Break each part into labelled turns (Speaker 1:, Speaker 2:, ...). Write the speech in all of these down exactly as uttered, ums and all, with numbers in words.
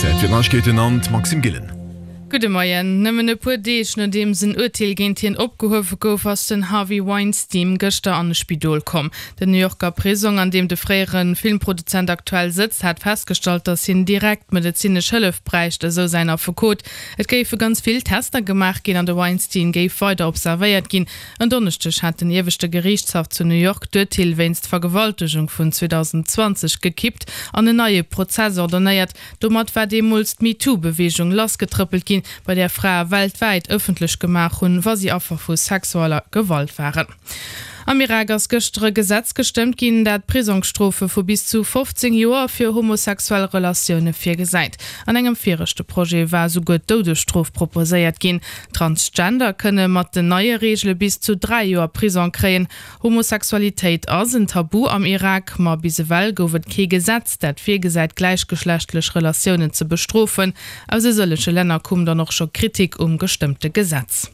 Speaker 1: Zäit fir d'Neiegkeeten an d'Maxime Gillen.
Speaker 2: Gudde Moien. Nëmmen e puer Deeg nodeems en Urteel géint hien opgehuewe gouf, ass den Harvey Weinstein gëschter an e Spidol komm. Den New Yorker Prisong, an deem de fréiere Filmproduzent aktuell sëtzt, hat festgestallt, datt hien direkt medezinesch Hëllef bräicht, esou säin Affekot. Et géife ganz vill Tester gemaach ginn an de Weinstein géif weider observéiert ginn. En Donneschdeg hat den ieweschte Geriichtshaff zu New York d'Urteel wéinst Vergewaltegung vun zweedausendzwanzeg gekippt an en neie Prozess ordonéiert. Domat war deemools d'MeToo-Beweegung lassgetrëppelt ginn, bei där Frae weltwäit ëffentlech gemaach hunn, wa si Affer vu sexueller Gewalt waren. Am Irak ass gëschter e Gesetz gestëmmt ginn, dat Prisongsstrofe vu bis zu fofzéng Joer fir homosexuell Relatioune virgesäit. An engem viregte Projet war esouguer d'Doudesstrof proposéiert ginn. Transgender kënne mat den neie Reegele bis zu dräi Joer Prisong kréien. Homosexualitéit ass en Tabu am Irak, ma bis ewell gouf et kee Gesetz, dat virgesäit, gläichgeschlechtlech Relatiounen ze bestrofen. Aus e sëllege Länner koum dann och scho Kritik um gestëmmte Gesetz.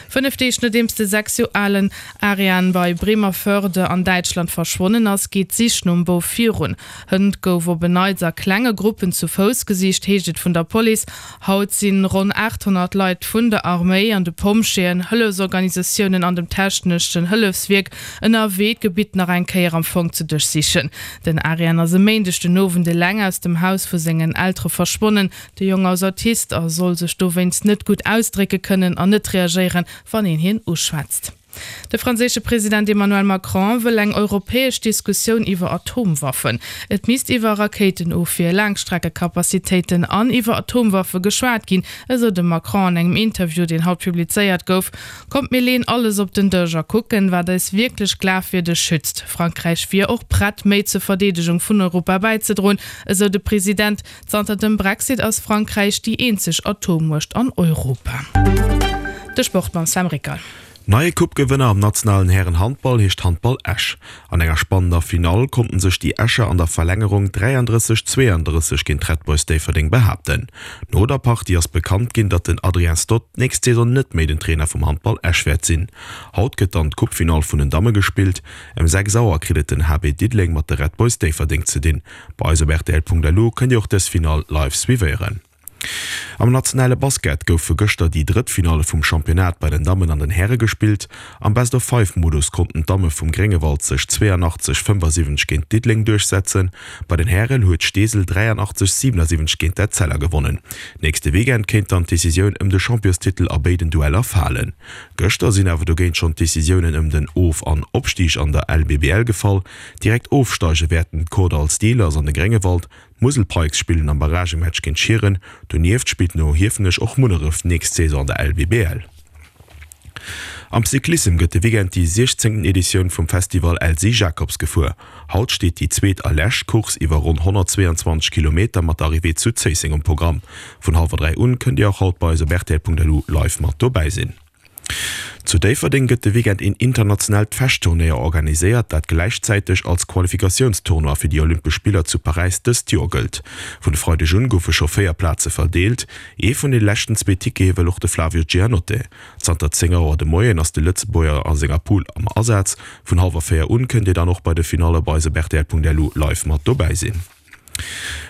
Speaker 2: Fënnef Deeg nodeems de sechs Joer alen Arian bei Bremervörde an Däitschland verschwonnen ass, geet d'Sich nom Bouf virun. Hënt gouf op en Neits a klenge Gruppen zu Fouss gesicht, heescht et vun der Police. Haut si ronn aathonnert Leit vun der Arméi an de Pompjeeën, Hëllefsorganisatiounen an dem techneschen Hëllefswierk ënnerwee, d'Gebitt nach eng Kéier am Fong ze duerchsichen. Den Arian ass e Méindeg den Owend eleng aus dem Haus vu sengen Eltere verschwonnen. De Jong ass Autist a soll sech dowéinst net gutt ausdrécke kënnen an net reagéieren, wann een hien uschwätzt. De franséische President Emmanuel Macron wëll eng europäesch Diskussioun iwwer Atomwaffen. Et misst iwwer Rakéitenofwier, Laangstreckekapazitéiten an iwwer Atomwaffe geschwat ginn, esou de Macron an engem Interview, deen haut publizéiert gouf. Kommt mir leeën alles op den Dësch a kucken, wat eis wierklech glafwierdeg schützt. Frankräich wier och prett, méi zur Verdeedegung vun Europa bäizedroen, esou de President. Zanter dem Brexit ass Frankräich déi eenzeg Atommuecht an Europa. De Sport mam Sam Rickal.
Speaker 3: Neie Coupe-Gewënner am nationalen Hären-Handball heescht Handball Esch. An enger spannender Finall konnten sech déi Escher an der Verlängerung dräiandrësseg, zweeandrësseg géint d'Red Boys Déifferdeng behaapten. No der Partie ass bekannt ginn, datt den Adrien Stott d'nächst Saison net méi den Trainer vum Handball Esch wäert sinn. Haut gëtt dann d'Coupe-Finall vun den Damme gespillt. Ëm sechs Auer kritt et den H B Diddeleng mat de Red Boys Déifferdeng ze dinn. Bei eis op rtl Punkt L U kënnt Dir och dës Finall live suivéieren. Am nationale Basket goufe gëschter déi drëtt Finalle vum Championnat bei den Dammen an den Häre gespillt. Am Best-of-Five-Modus konnten d'Damme vum Gréngewald sech zweeanachtzeg, fënnefasiwwenzeg géint Diddeleng duerchsetzen. Bei den Hären huet Steesel dräianachtzeg, siwenasiwwenzeg géint d'Etzella gewonnen. Nächste Weekend kéint dann d'Decisioun ëm de Championstitel a béiden Dueller falen. Gëschter sinn awer dogéint schonn d'Decisiounen ëm den Of an Opstig an der L B B L gefall. Direkt ofsteige wäerten d'Kordall Steelers an de Gréngewald. D'Musel Pikes spillen am Barragematch géint Schieren. Donieft spillt no Hiefenech och Munneref nächst Saison an der L B B L. Am Cyclissem gëtt de Weekend déi siechzéngten Editioun vum Festival Elsy Jacobs gefuer. Haut steet déi zweet a lescht Course iwwer ronn honnertzweeanzwanzeg Kilometer mat der Arrivée zu Zéisseng um Programm. Vun hallwer dräi un kënnt Dir och haut bei eis op rtl Punkt L U live mat dobäi sinn. Zu Déifferdeng gëtt de Weekend een internationaalt Fechtturnéier organiséiert, dat gläichzäiteg als Qualifikatiounstournoi fir déi Olympesch Spiller zu Paräis dëst Joer gëllt. Vun e Freideg un goufe scho véier Plaze verdeelt. Ee vun de leschten zwee Tickete wëll och de Flavio Giannotte. Zanter zéng Auer de Moien ass de Lëtzebuerger a senger Poule am Asaz. Vun hallwer véier un kënnt Dir dann och bei de Finalle bei eis op rtl Punkt L U live mat dobäi sinn.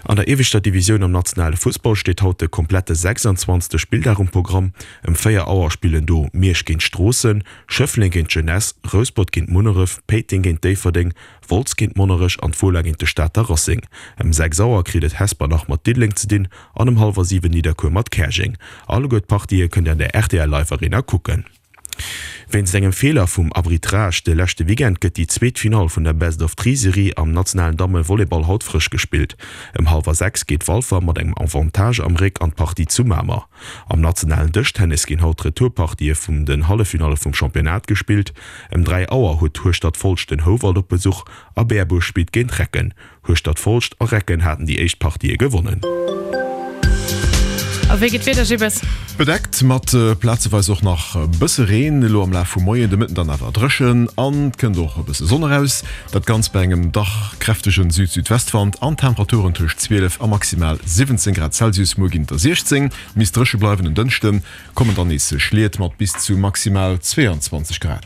Speaker 3: An der ieweschter Divisioun am nationale Fussball steet haut de komplette sechsanzwanzegste Spilldag um Programm. Ëm véier Auer spillen do Miersch géint Stroossen, Schëffleng géint d'Jeunesse, Rouspert géint Munneref, Péiteng géint Déifferdeng, Wolz géint Monnerech an d'Fola géint de Stater Racing. Ëm sechs Auer kritt et Hesper nach mat Diddeleng ze dinn an ëm hallwer siwen Nidderkuer mat Käerjeng. Alleguer d'Partië kënnt Dir an der R T L Live Arena kucken. Wéinst engem Feeler vum Arbitrage de leschte Weekend gëtt déi zweet Finall vun der Best-of-Three-Serie am nationalen Damme-Volleyball haut frësch gespillt. Ëm hallwer sechs geet Walfer mat engem Avantage am Réck an d'Partie zu Mamer. Am nationalen Dëschtennis ginn haut d'Retourpartië vun den Halleffinalle vum Championnat gespillt. Ëm dräi Auer huet Hueschtert-Folscht den Houwald op Besuch a Berbuerg spillt géint Recken. Hueschtert-Folscht a Recken haten déi éischt Partië gewonnen.
Speaker 2: A wéi geet d'Wieder, Gilles?
Speaker 1: Bedeckt mat plazeweis och nach e bësse Reen elo am Laf vum Moien, de Mëtten dann awer dréchen an et kënnt och e bësse Sonn eraus. Dat Ganzt bei engem dach kräftegen Süd-Südwestwand an Temperaturen tëscht zwielef a maximal siwwenzéng Grad Celsius. Muer ginn et der siechzéng, misst dréche bleiwen. En Dënschde kommen dann nees Schliet mat bis zu maximal zweeanzwanzeg Grad.